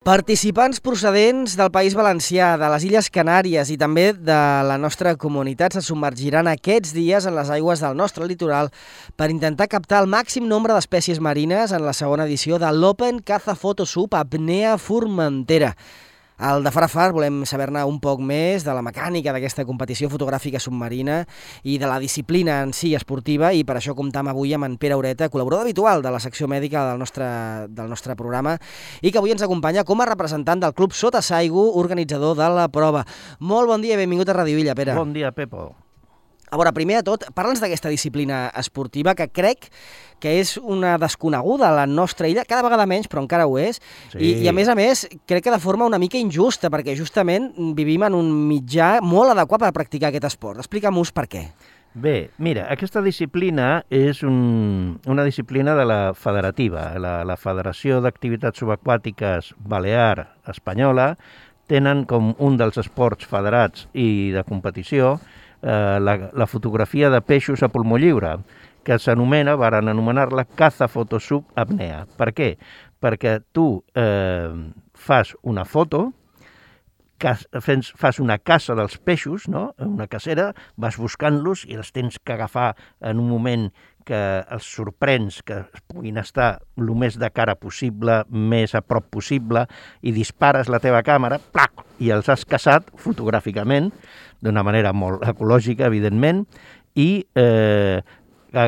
Participants procedents del País Valencià, de les Illes Canàries i també de la nostra comunitat se submergiran aquests dies en les aigües del nostre litoral per intentar captar el màxim nombre d'espècies marines en la segona edició de l'Open Caza Photo Sub Apnea Formentera. Al de Farafar volem saber-ne un poc més de la mecànica d'aquesta competició fotogràfica submarina i de la disciplina en si esportiva, i per això comptam avui amb en Pere Ureta, col·laborador habitual de la secció mèdica del nostre programa i que avui ens acompanya com a representant del Club Sota Saigo, organitzador de la prova. Molt bon dia i benvingut a Radio Illa, Pere. Bon dia, Pepo. A veure, primer de tot, parla'ns d'aquesta disciplina esportiva que crec que és una desconeguda a la nostra illa, cada vegada menys, però encara ho és, sí. I a més, crec que de forma una mica injusta, perquè justament vivim en un mitjà molt adequat per practicar aquest esport. Explica'm-us per què. Bé, mira, aquesta disciplina és una disciplina de la federativa. La Federació d'Activitats Subaquàtiques Balear Espanyola tenen com un dels esports federats i de competició la fotografia de peixos a pulmó lliure, que s'anomena, varen anomenar-la Caza Photo Sub Apnea. Per què? Perquè tu fas una foto, fas una caça dels peixos, no? Una cacera, vas buscant-los i els tens que agafar en un moment que els sorprens, que puguin estar el més de cara possible, més a prop possible, i dispares la teva càmera, plac, i els has caçat fotogràficament, d'una manera molt ecològica, evidentment, i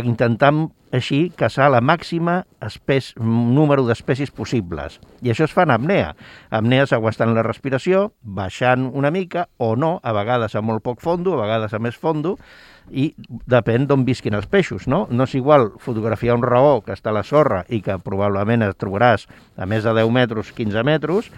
intentant així caçar la màxima número d'espècies possibles. I això es fa en apnea. Apnea és aguantant la respiració, baixant una mica, o no, a vegades a molt poc fondo, a vegades a més fondo, i depèn d'on visquin els peixos, no? No és igual fotografiar un raó que està a la sorra i que probablement et trobaràs a més de 10 metres, 15 metres,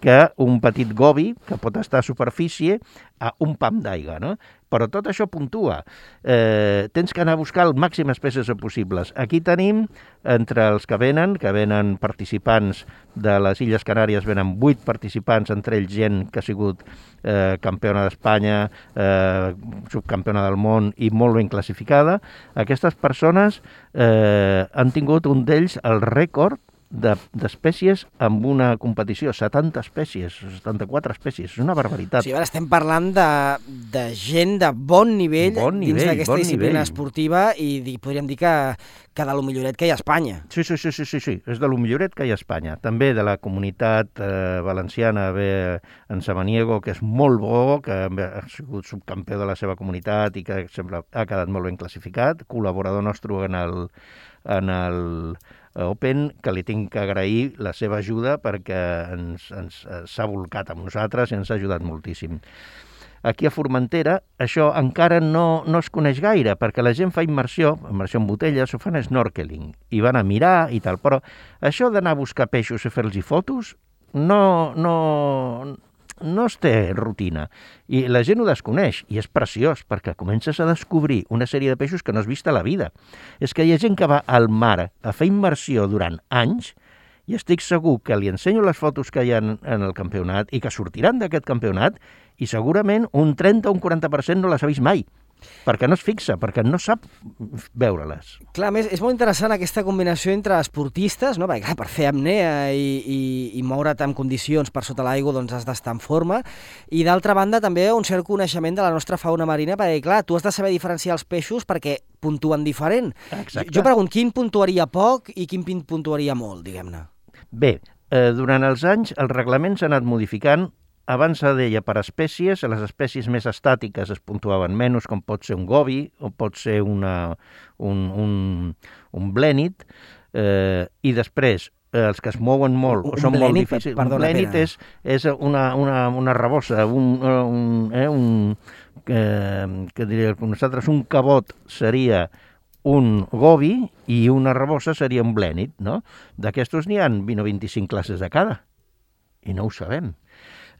que un petit gobi que pot estar a superfície a un pam d'aigua, no? Però tot això puntua. Tens que anar a buscar el màxim espècies possibles. Aquí tenim, entre els que venen participants de les Illes Canàries, venen 8 participants, entre ells gent que ha sigut campiona d'Espanya, subcampiona del món i molt ben classificada. Aquestes persones han tingut un d'ells el rècord d'espècies amb una competició, 70 espècies, 74 espècies, és una barbaritat. Sí, ara estem parlant de gent de bon nivell dins d'aquesta disciplina esportiva i podríem dir que de lo milloret que hi ha a Espanya. Sí, és de lo milloret que hi ha a Espanya. També de la comunitat valenciana ve en Samaniego, que és molt bo, que ha sigut subcampió de la seva comunitat i que sempre ha quedat molt ben classificat, col·laborador nostre en el Open, que li tinc que agrair la seva ajuda perquè s'ha volcat amb nosaltres i ens ha ajudat moltíssim. Aquí a Formentera això encara no es coneix gaire, perquè la gent fa immersió en botelles, o fan snorkeling, i van a mirar i tal, però això d'anar a buscar peixos i fer-los fotos no es té rutina, i la gent ho desconeix, i és preciós, perquè comences a descobrir una sèrie de peixos que no has vist a la vida. És que hi ha gent que va al mar a fer immersió durant anys, i estic segur que li ensenyo les fotos que hi ha en el campionat i que sortiran d'aquest campionat, i segurament un 30 o un 40% no les ha vist mai, perquè no es fixa, perquè no sap veure-les. Clar, a més, és molt interessant aquesta combinació entre esportistes, no? Perquè, clar, per fer apnea i moure't en condicions per sota l'aigua, doncs has d'estar en forma, i d'altra banda també un cert coneixement de la nostra fauna marina, perquè, clar, tu has de saber diferenciar els peixos perquè puntuen diferent. Exacte. Jo pregunto, quin puntuaria poc i quin puntuaria molt, diguem-ne? Bé, durant els anys el reglament s'ha anat modificant. Abans se deia per espècies, les espècies més estàtiques es puntuaven menys, com pot ser un gobi o pot ser un blènit, i després els que es mouen molt o són molt difícils. Un blènit és una rabosa, que diria nosaltres, un cabot seria un gobi i una rabosa seria un blènit, no? D'aquestos n'hi ha 20 o 25 classes de cada, i no ho sabem.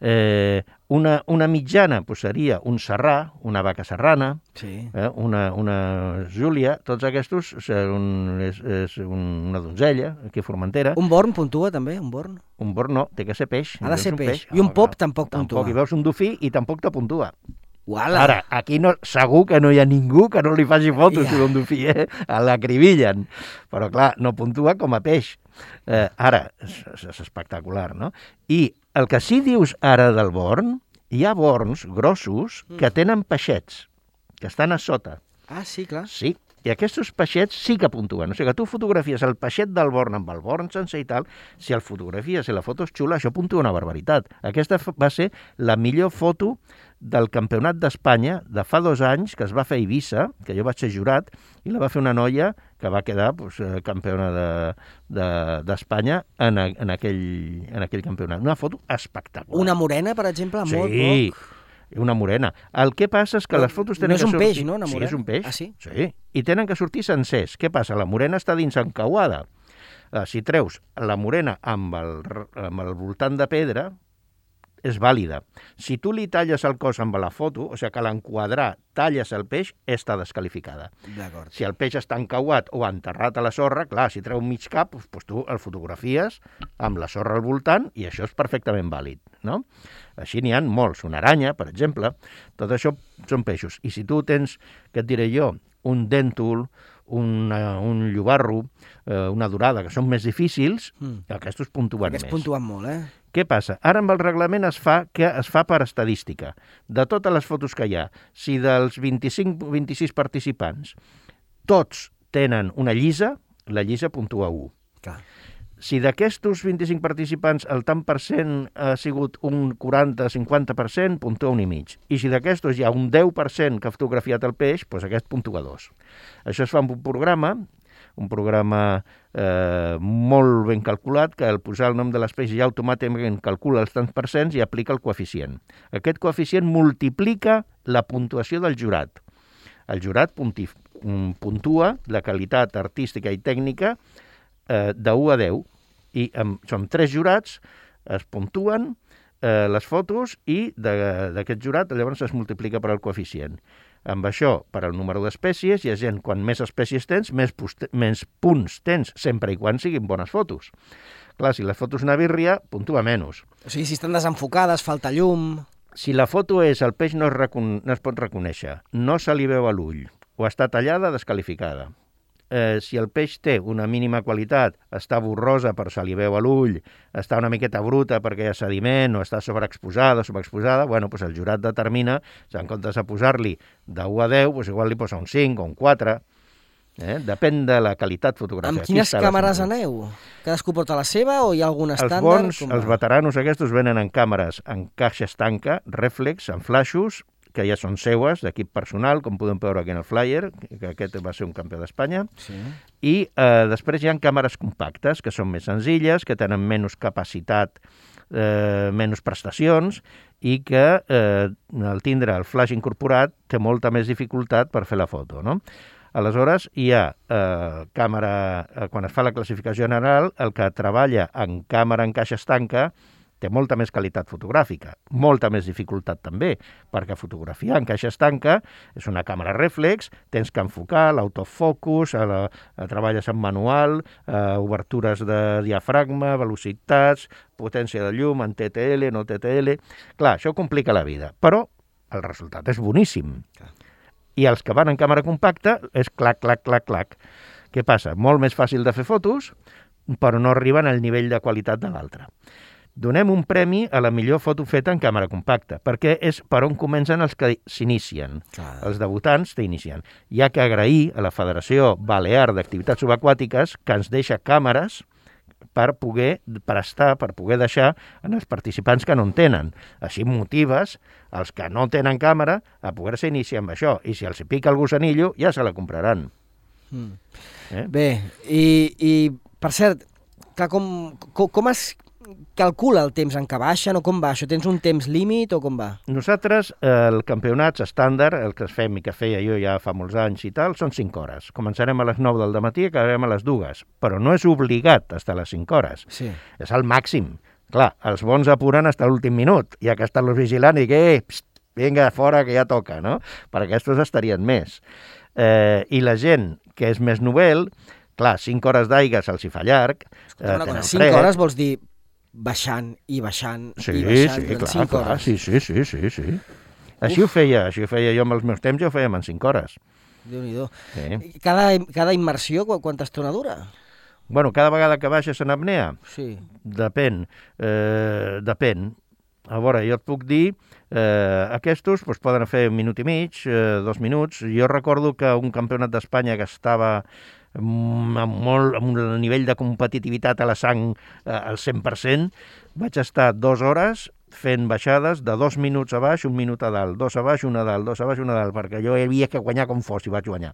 Una mitjana seria un serrà, una vaca serrana, sí. Una júlia, tots aquests és una donzella, aquí a Formentera. Un born puntua també, un born? Un born no, té que ser peix. Ha de ser peix. I un pop tampoc puntua. Tampoc, hi veus un dofí i tampoc te puntua. Uala. Ara, aquí no, segur que no hi ha ningú que no li faci fotos si d'on fier, l'acribillen. Però, clar, no puntua com a peix. Ara, és espectacular, no? I el que sí dius ara del born, hi ha borns grossos que tenen peixets, que estan a sota. Ah, sí, clar. Sí, i aquests peixets sí que puntuen. O sigui que tu fotografies el peixet del born amb el born sencer i tal, si el fotografies i la foto és xula, això puntua una barbaritat. Aquesta va ser la millor foto del Campionat d'Espanya de fa 2 anys, que es va fer a Eivissa, que jo vaig ser jurat, i la va fer una noia que va quedar campiona d'Espanya en aquell campionat. Una foto espectacular. Una morena, per exemple, molt poc. Una morena. El que passa és que les fotos tenen que sortir... No és un peix, no, una morena? Sí, és un peix. Ah, sí? Sí, i tenen que sortir sencers. Què passa? La morena està dins encauada. Si treus la morena amb el voltant de pedra, és vàlida. Si tu li talles el cos amb la foto, o sigui que a l'enquadrar talles el peix, està desqualificada. D'acord. Si el peix està encauat o enterrat a la sorra, clar, si treu mig cap, doncs tu el fotografies amb la sorra al voltant i això és perfectament vàlid, no? Així n'hi ha molts. Una aranya, per exemple, tot això són peixos. I si tu tens, què et diré jo, un dèntul, un llobarro, una dorada, que són més difícils, aquests puntuen més. Aquests puntuen molt, Què passa? Ara amb el reglament es fa per estadística. De totes les fotos que hi ha, si dels 25-26 participants tots tenen una llisa, la llisa puntua 1. Clar. Si d'aquests 25 participants el tant per cent ha sigut un 40-50%, puntua 1,5. I si d'aquests hi ha un 10% que ha fotografiat el peix, doncs aquest puntua 2. Això es fa amb un programa molt ben calculat, que al posar el nom de l'espècie ja automàticament calcula els tants percents i aplica el coeficient. Aquest coeficient multiplica la puntuació del jurat. El jurat puntua la qualitat artística i tècnica de 1 a 10, i som 3 jurats, es puntuen les fotos i d'aquest jurat llavors es multiplica per el coeficient. Amb això, per al número d'espècies, hi ha gent, quan més espècies tens, més punts tens, sempre i quan siguin bones fotos. Clar, si la foto és una birria, puntua menys. O sigui, si estan desenfocades, falta llum... Si la foto és, el peix no es pot reconèixer, no se li veu a l'ull, o està tallada, desqualificada. Si el peix té una mínima qualitat, està borrosa per se li veu a l'ull, està una miqueta bruta perquè hi ha sediment, o està sobreexposada o subexposada, bueno, doncs el jurat determina, si en comptes de posar-li de 1 a 10, doncs igual li posa un 5 o un 4, depèn de la qualitat fotogràfica. Amb quines càmeres aneu? Cadascú porta la seva o hi ha algun estàndard? Els veteranos aquests venen en càmeres en caixa estanca, rèflex, en flaixos, que ja són seues, d'equip personal, com podem veure aquí en el flyer, que aquest va ser un campió d'Espanya, sí. I després hi ha càmeres compactes, que són més senzilles, que tenen menys capacitat, menys prestacions, i que al tindre el flash incorporat té molta més dificultat per fer la foto, no? Aleshores, hi ha càmera, quan es fa la classificació general, el que treballa en càmera en caixa estanca té molta més qualitat fotogràfica, molta més dificultat també, perquè fotografiar en caixa estanca és una càmera rèflex, tens que enfocar, l'autofocus, treballes en manual, obertures de diafragma, velocitats, potència de llum, en TTL, no TTL... Clar, això complica la vida, però el resultat és boníssim. I els que van en càmera compacta és clac, clac, clac, clac. Què passa? Molt més fàcil de fer fotos, però no arriben al nivell de qualitat de l'altre. Donem un premi a la millor foto feta en càmera compacta, perquè és per on comencen els que s'inicien. Els debutants t'inicien. Hi ha que agrair a la Federació Balear d'Activitats Subaquàtiques que ens deixa càmeres per poder prestar, per poder deixar en els participants que no en tenen. Així motives els que no tenen càmera a poder-se iniciar amb això. I si els pica el gusanillo, ja se la compraran. Bé, i per cert, com es calcula el temps en què baixen o com va? Això tens un temps límit o com va? Nosaltres, el campionats estàndard, el que fem i que feia jo ja fa molts anys i tal, són 5 hores. Començarem a les 9 del dematí i acabarem a les 2, però no és obligat estar a les 5 hores. Sí. És el màxim. Clar, els bons apuren fins a l'últim minut, ja que estan-los vigilant i que, vinga, fora, que ja toca, no? Per aquests estarien més. I la gent que és més novel, clar, 5 hores d'aigua se'ls hi fa llarg. 5 hores vols dir baixant i baixant i baixant durant 5 hores. Sí. Així ho feia jo amb els meus temps, ja ho fèiem en 5 hores. Déu-n'hi-do. Sí. Cada immersió, quanta estona dura? Bueno, cada vegada que baixes en apnea, Sí. depèn. A veure, jo et puc dir, aquests poden fer 1 minut i mig, 2 minuts. Jo recordo que un campionat d'Espanya que estava amb un nivell de competitivitat a la sang al 100%, vaig estar 2 hores fent baixades de 2 minuts a baix, 1 minut a dalt, 2 a baix, 1 a dalt, 2 a baix, 1 a dalt, perquè jo havia que guanyar com fos i vaig guanyar.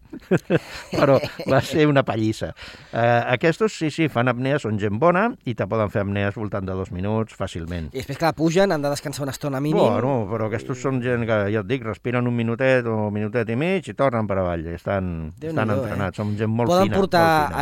Però va ser una pallissa. Aquests, sí, fan apnea, són gent bona i te poden fer apnees voltant de 2 minuts fàcilment. I després que la pugen han de descansar una estona mínim. Bueno, però aquests són gent que, ja et dic, respiren 1 minutet o 1 minutet i mig i tornen per avall. Estan entrenats, són gent molt Poden fina. Poden portar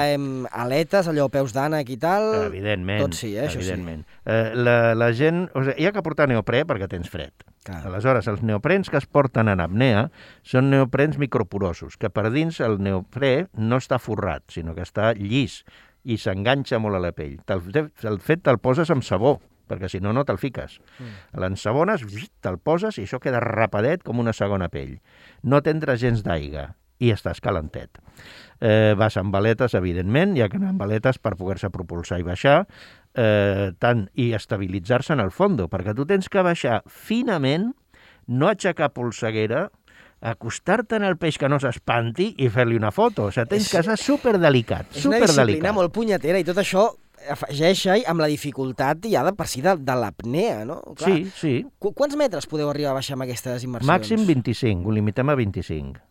aletes, allò, peus d'ànec i tal? Evidentment. Tot sí, això evidentment. La gent... O sigui, hi ha que portar neoprè perquè tens fred. Clar. Aleshores, els neoprens que es porten en apnea són neoprens microporosos, que per dins el neoprè no està forrat, sinó que està llis i s'enganxa molt a la pell. El fet te'l poses amb sabó, perquè si no, no te'l fiques. L'ensabones, te'l poses i això queda rapadet com una segona pell. No tindràs gens d'aigua i estàs calentet. Vas amb baletes, evidentment, hi ha que anar amb baletes per poder-se propulsar i baixar, i estabilitzar-se en el fondo, perquè tu tens que baixar finament, no aixecar polseguera, acostar-te en el peix que no s'espanti i fer-li una foto. O sigui, tens que ser superdelicat. És una disciplina molt punyetera i tot això afegeix amb la dificultat ja de per si de l'apnea, no? Clar. Sí. Quants metres podeu arribar a baixar amb aquestes immersions? Màxim 25, ho limitem a 25.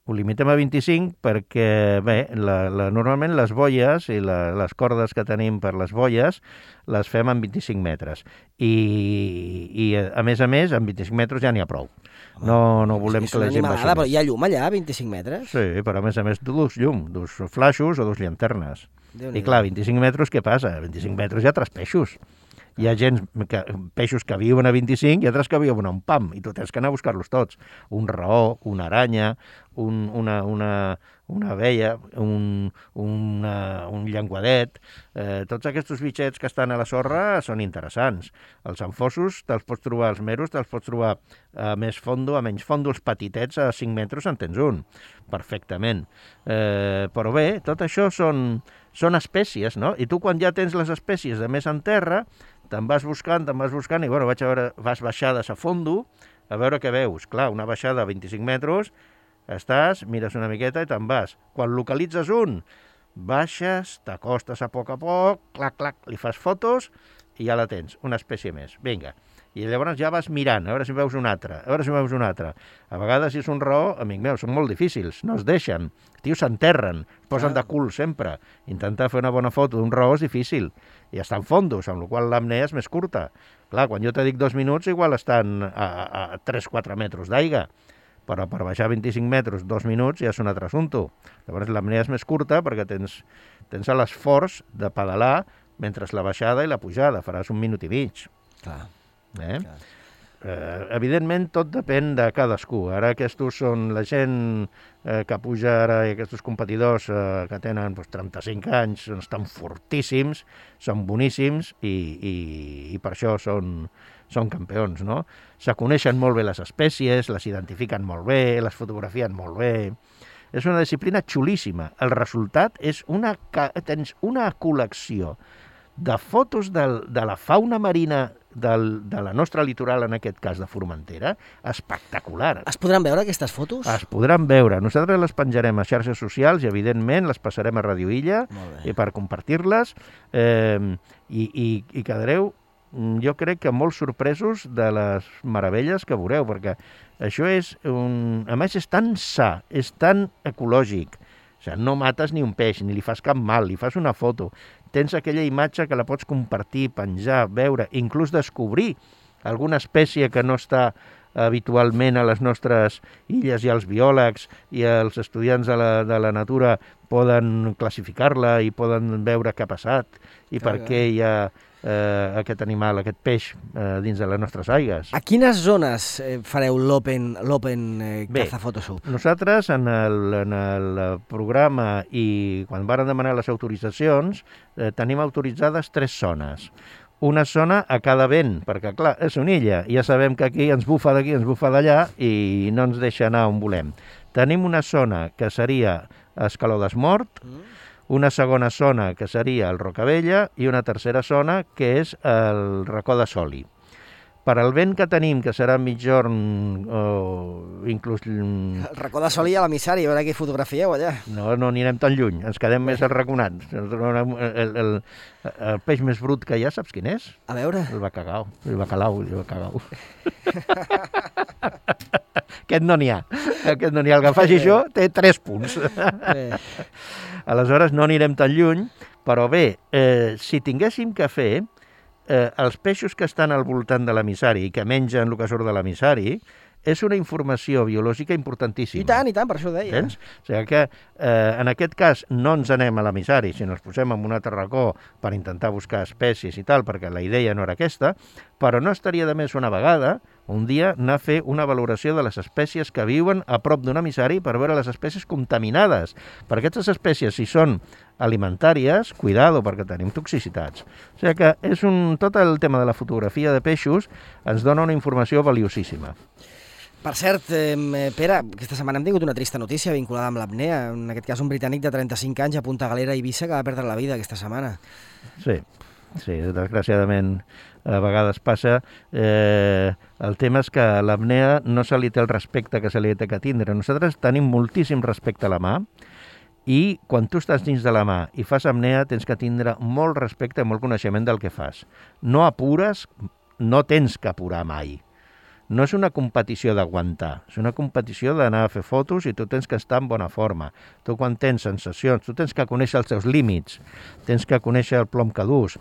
Ho limitem a 25 perquè, bé, normalment les boies i les cordes que tenim per les boies les fem en 25 metres. I a més, amb 25 metres ja n'hi ha prou. No volem que la gent baixi més. Però hi ha llum allà, a 25 metres? Sí, però a més, dus llum, dus flaixos o dus llanternes. I clar, 25 metres, què passa? A 25 metres hi ha 3 peixos. Hi ha peixos que viuen a 25 i altres que viuen a un pam, i tu tens que anar a buscar-los tots. Un raó, una aranya, una abella, un llenguadet. Tots aquests bitxets que estan a la sorra són interessants. Els anfossos te'ls pots trobar, els meros te'ls pots trobar a més fondo, a menys fondo, els petitets a 5 metres en tens un, perfectament. Però bé, tot això són espècies, no? I tu quan ja tens les espècies de més en terra, te'n vas buscant i bueno, vas baixades a fondo a veure què veus. Clar, una baixada a 25 metres, mires una miqueta i te'n vas. Quan localitzes un, baixes, t'acostes a poc, clac, li fas fotos i ja la tens, una espècie més. Vinga. I llavors ja vas mirant, a veure si veus un altre, A vegades, si és un raó, amic meu, són molt difícils, no es deixen. Els tios s'enterren, es posen de cul sempre. Intentar fer una bona foto d'un raó és difícil. I estan fondos, amb la qual l'apnea és més curta. Clar, quan jo te dic 2 minuts, igual estan a 3-4 metres d'aigua. Però per baixar 25 metres, 2 minuts, ja és un altre assumpte. Llavors l'apnea és més curta perquè tens l'esforç de pedalar mentre la baixada i la pujada. Faràs 1 minut i mig. Clar. Evidentment, tot depèn de cadascú. Ara aquests són la gent que puja ara, aquests competidors que tenen 35 anys, estan fortíssims, són boníssims i per això són campions, no? Se coneixen molt bé les espècies, les identifiquen molt bé, les fotografien molt bé. És una disciplina xulíssima. El resultat és tens una col·lecció de fotos de la fauna marina de la nostra litoral, en aquest cas de Formentera, espectacular. Es podran veure aquestes fotos? Es podran veure. Nosaltres les penjarem a xarxes socials i, evidentment, les passarem a Radio Illa per compartir-les i quedareu, jo crec que molt sorpresos de les meravelles que veureu, perquè això a més, és tan sa, és tan ecològic. O sigui, no mates ni un peix, ni li fas cap mal, li fas una foto. Tens aquella imatge que la pots compartir, penjar, veure, inclús descobrir alguna espècie que no està habitualment a les nostres illes, i els biòlegs i els estudiants de la natura poden classificar-la i poden veure què ha passat i per què hi ha aquest animal, aquest peix dins de les nostres aigües. A quines zones fareu l'Open Cazafotosup? Nosaltres en el programa i quan varen demanar les autoritzacions tenim autoritzades 3 zones. una zona a cada vent, perquè, clar, és una illa, ja sabem que aquí ens bufa d'aquí, ens bufa d'allà i no ens deixa anar on volem. Tenim una zona que seria Escaló d'Esmort, una segona zona que seria el Rocabella i una tercera zona que és el Racó de Soli. Per al vent que tenim, que serà mitjorn o inclús... El Racó de Soli a l'emissari, a veure què fotografieu allà. No anirem tan lluny, ens quedem més arraconats. El peix més brut que hi ha, saps quin és? A veure. El bacalao. Aquest no n'hi ha. El que faci això té 3 punts. Aleshores no anirem tan lluny, però bé, si tinguéssim que fer... els peixos que estan al voltant de l'emissari i que mengen el que surt de l'emissari és una informació biològica importantíssima. I tant, per això ho deia. Tens? O sigui que en aquest cas no ens anem a l'emissari, sinó ens posem en un altre racó per intentar buscar espècies i tal, perquè la idea no era aquesta, però no estaria de més una vegada, un dia, anar a fer una valoració de les espècies que viuen a prop d'un emissari per veure les espècies contaminades. Per aquestes espècies, si són alimentàries, cuidado, perquè tenim toxicitats. O sigui que tot el tema de la fotografia de peixos ens dona una informació valiosíssima. Per cert, Pere, aquesta setmana hem tingut una trista notícia vinculada amb l'apnea. En aquest cas, un britànic de 35 anys a Punta Galera, Eivissa, que va perdre la vida aquesta setmana. Sí, desgraciadament a vegades passa. El tema és que l'apnea no se li té el respecte que se li té que tindre. Nosaltres tenim moltíssim respecte a la mà i quan tu estàs dins de la mà i fas apnea tens que tindre molt respecte i molt coneixement del que fas. No apures, no tens que apurar mai. No és una competició d'aguantar, és una competició d'anar a fer fotos i tu tens que estar en bona forma. Tu quan tens sensacions, tu tens que conèixer els teus límits, tens que conèixer el plom que dus,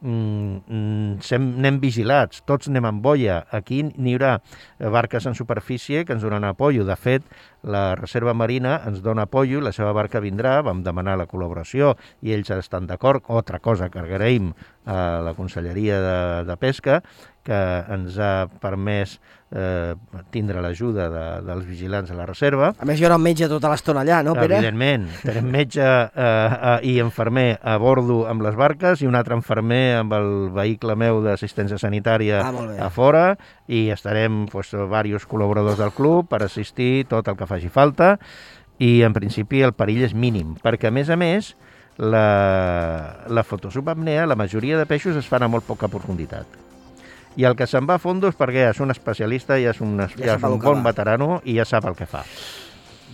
anem vigilats, tots anem amb boia. Aquí n'hi haurà barques en superfície que ens donen apoyo. De fet, la Reserva Marina ens dona apoyo, la seva barca vindrà, vam demanar la col·laboració i ells estan d'acord. Altra cosa que agraïm a la Conselleria de Pesca, que ens ha permès tindre l'ajuda dels vigilants de la reserva. A més, hi haurà un metge tota l'estona allà, no, Pere? Evidentment. Tenim metge i infermer a bordo amb les barques i un altre infermer amb el vehicle meu d'assistència sanitària a fora i estarem diversos col·laboradors del club per assistir tot el que faci falta i, en principi, el perill és mínim, perquè, a més, la fotosubapnea, la majoria de peixos es fan a molt poca profunditat. I el que se'n va a fondo és perquè és un especialista, ja és un bon veterano i ja sap el que fa.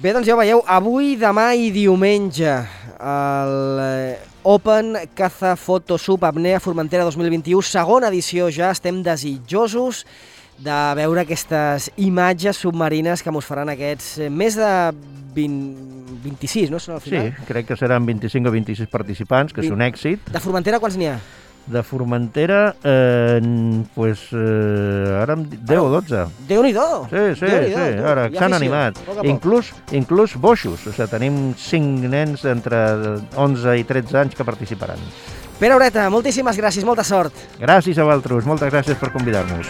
Bé, doncs ja ho veieu, avui, demà i diumenge, l'Open Caza Photo Sub Apnea Formentera 2021, segona edició ja, estem desitjosos de veure aquestes imatges submarines que mos faran aquests més de 26, no? Són al final? Sí, crec que seran 25 o 26 participants, que és un èxit. De Formentera quants n'hi ha? De Formentera, ara 10 o 12. Déu-n'hi-do! Sí, ara s'han animat. Inclús boixos, o sigui, tenim 5 nens entre 11 i 13 anys que participaran. Pere Ureta, moltíssimes gràcies, molta sort. Gràcies a vosaltres, moltes gràcies per convidar-nos.